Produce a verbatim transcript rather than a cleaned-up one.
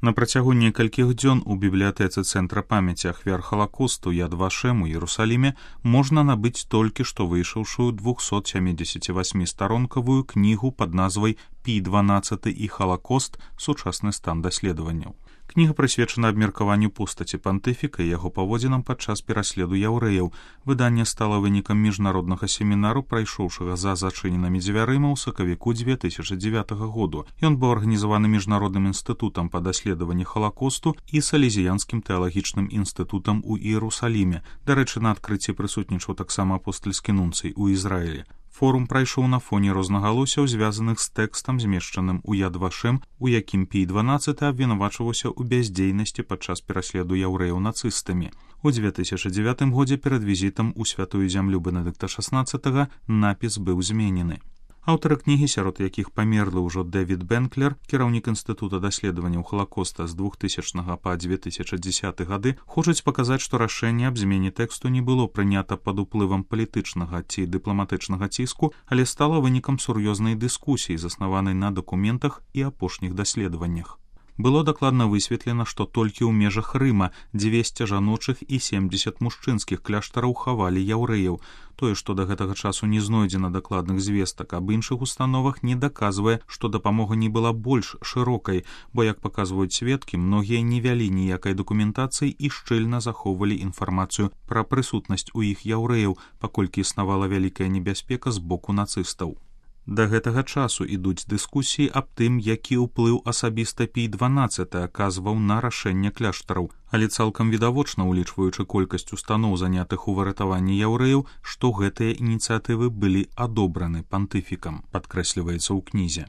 На працягу некалькіх дзён у бібліятэцы Цэнтра памяці ахвяр Халакосту Яд Вашем у Іерусаліме можна набыць толькі што выйшаўшую двухсот сямидесяти восьми старонкавую кнігу пад назвай Пій дванаццаты і Халакост. Сучасны стан даследаванняў. Кніга прысвечана абмеркаванню постаці пантыфіка і яго паводзінам падчас пераследу яўрэяў. Выданне стала вынікам міжнароднага семінару, прайшоўшага за зачыненымі дзвярыма ў сакавіку две тысячи дзевятага году. Ён быў арганізаваны міжнародным інстытутам па даследаванні Халакосту і салезіянскім тэалагічным інстытутам у Іерусаліме. Дарэчы, на адкрыцці прысутнічаў таксама апостальскі нунцый у Ізраілі. Форум прайшоў на фоне рознагалосяў, звязаных з тэкстам, змешчаным у Яд Вашем, у якім Пій дванаццаты абвінавачваўся ў бяздзейнасці падчас пераследу яўрэяў нацыстамі. У две тысячи дзевятым годзе перад візітам у святую зямлю Бенедыкта шаснаццатага напіс быў зменены. Аўтары кнігі, сярод якіх памерлы ўжо Дэвід Бенклер, кіраўнік інстытута даследаванняў Халакоста з двухтысячнага па две тысячи дзесяты гады, хочуць паказаць, што рашэнне аб змене тэксту не было прынята пад уплывам палітычнага ці дыпламатычнага ціску, але стала вынікам сур'ёзнай дыскусіі, заснаванай на дакументах і апошніх даследаваннях. Было дакладна высветлена, што толькі ў межах Рыма дзвесце жаночых і семьдесят мужчынскіх кляштараў хавалі яўрэяў. Тое, што да гэтага часу не знойдзена дакладных звестак аб іншых установах, не даказвае, што дапамога не была больш шырокай, бо, як паказваюць сведкі, многія не вялі ніякай дакументацыі і шчыльна захоўвалі інфармацыю пра прысутнасць у іх яўрэяў, паколькі існавала вялікая небяспека з боку нацыстаў. Да гэтага часу ідуць дыскусіі аб тым, які ўплыў асабіста Пій дванаццаты аказваў на рашэнне кляштараў, але цалкам відавочна, улічваючы колькасць устаноў, занятых у выратаванні яўрэяў, што гэтыя ініцыятывы былі адобраны пантыфікам, падкрэсліваецца ў кнізе.